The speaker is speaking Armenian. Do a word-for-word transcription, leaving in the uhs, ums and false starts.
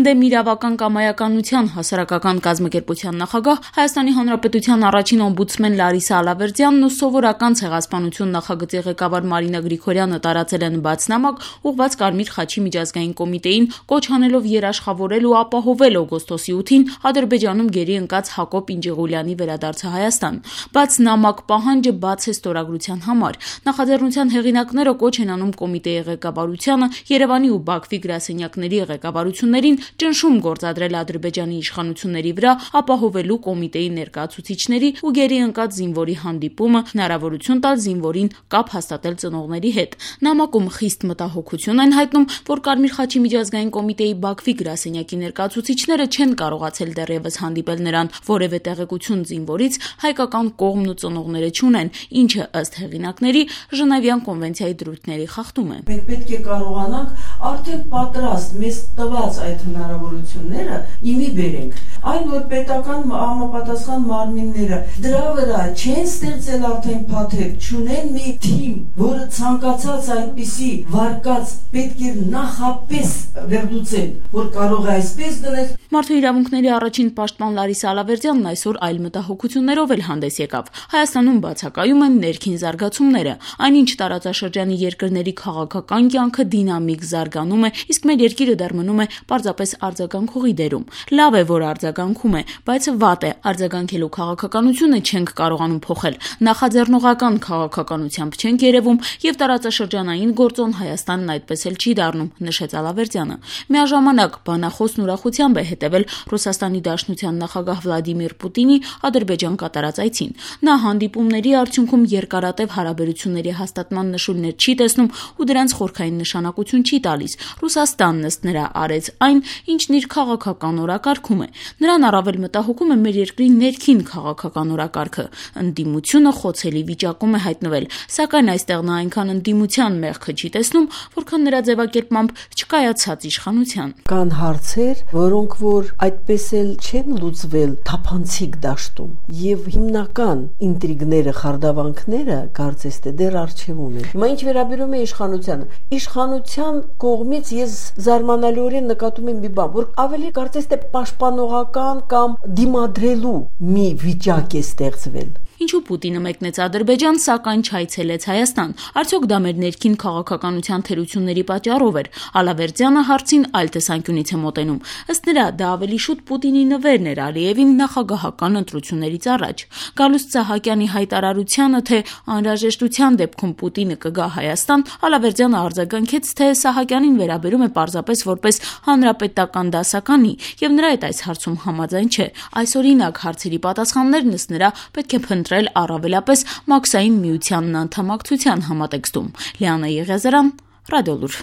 Ընդդեմ իրավական կամայականության հասարակական կազմակերպության նախագահ Հայաստանի Հանրապետության առաջին օմբուդսմեն Լարիսա Ալավերդյանն ու սովորական ցեղասպանություն նախագծի ղեկավար Մարինա Գրիգորյանը տարածել են բաց նամակ, ուղղված Կարմիր խաչի միջազգային կոմիտեին, կոչ անելով երաշխավորել ու ապահովել օգոստոսի ութին Ադրբեջանում գերի ընկած Հակոբ Ինջիղուլյանի վերադարձը Հայաստան։ Բաց նամակ պահանջը բաց է ստորագրության համար։ Նախաձեռնության հեղինակները կոչ են անում կոմիտեի ղեկավարությանը, Երևանի ու Բաքվի գրասենյակների ղեկավարություններին ճնշում գործադրել Ադրբեջանի իշխանությունների վրա, ապահովելու կոմիտեի ներկայացուցիչների ու գերի ընկած զինվորի հանդիպումը, հնարավորություն տալ զինվորին կապ հաստատել ծնողների հետ։ Նամակում խիստ մտահոգություն են հայտնում, որ Կարմիր խաչի միջազգային կոմիտեի Բաքվի գրասենյակի ներկայացուցիչները չեն կարողացել դեռևս հանդիպել նրան, որևէ տեղեկություն զինվորից հայկական կողմն ու ծնողները չունեն, ինչը ըստ հեղինակների Ժնևյան կոնվենցիայի դրույթների խախտում է։ Մենք պետք է կարողանանք արդեն պատրաստ մեզ տված այդ հնարավորությունները իմի բերենք։ Այն որ պետական համապատասխան մարմինները դրա վրա չեն ստեղծել արդեն փաթեթ, չունեն մի թիմ, որը ցանկացած այդպիսի վարկած պետք է նախապես վերլուծել, որ կարող է այսպես դնել։ Մարդու իրավունքների առաջին պաշտպան Լարիսա Ալավերդյանն այսօր այլ մտահոգություններով էլ հանդես եկավ։ Հայաստանում բացակայում են ներքին զարգացումները, այնինչ տարածաշրջանի երկրների քաղաքական կյանքը դինամիկ զարգանում է, իսկ մեր երկիրը դեռ մնում է պարզապես արձագանքողի դերում։ Լավ է, որ արձագանքում է, բայց վատ է, արձագանքելու քաղաքականությունը չենք կարողանում փոխել, նախաձեռնողական քաղաքականությամբ չենք երևում եւ տարածաշրջանային գործոն Հայաստանն այդպես էլ չի դառնում, նշեց Ալավերդյանը։ Միաժամանակ բանախոսն ուրախությամբ է հետևել Ռուսաստանի Դաշնության նախագահ Վլադիմիր Պուտինի Ադրբեջան կատարած այցին։ Նա հանդիպումների արդյունքում երկարատև հարաբերությունների հաստատման նշույլներ չի տեսնում ու դրանց խորքային նշանակություն չի տալիս։ Ռուսաստանն ըստ նրա արեց այն, ինչն իր քաղաքական օրակարգում է։ Նրան առավել մտահոգում է մեր երկրի ներքին քաղաքական օրակարգը։ Ընդդիմությունը խոցելի վիճակում է հայտնվել, սակայն այստեղ նա այնքան ընդդիմության մեղքը չի տեսնում, որքան նրա ձևակերպմամբ չկայացած իշխանության։ Կան հարցեր, որոնք որ այդպես էլ չեն լուծվել թափանցիկ դաշտում, եւ հիմնական ինտրիգները, խարդավանքները կարծես թե դեռ առջևում են։ Հիմա ինչ վերաբերում է իշխանությանը, իշխանության կողմից ես զարմանալիորեն նկատում եմ մի բան, որ ավելի կարծես թե պաշտպանողական կամ դիմադրելու մի վիճակ է ստեղծվել։ Ինչու Պուտինը մեկնեց Ադրբեջան, սակայն չայցելեց Հայաստան։ Արդյոք դա մեր ներքին քաղաքականության թերությունների պատճառով էր։ Ալավերդյանը հարցին այլ տեսանկյունից է մոտենում։ Ըստ նրա, դա ավելի շուտ Պուտինի նվերն էր Ալիևին նախագահական ընտրություններից առաջ։ Գալուստ Սահակյանի հայտարարությանը, թե անհրաժեշտության դեպքում Պուտինը կգա Հայաստան, Ալավերդյանը արձագանքեց, թե Սահակյանին վերաբերում է պարզապես որպես հանրապետական դասականի, եւ նրա հետ այս հարցում համաձայն չէ։ Այսօրինակ հարցերի պատասխաններն ըստ նրա պետք է փնտրել առավելապես Մաքսային միությանն անդամակցության համատեքստում։ Լիանա Եղիազարյան, Ռադիոլուր։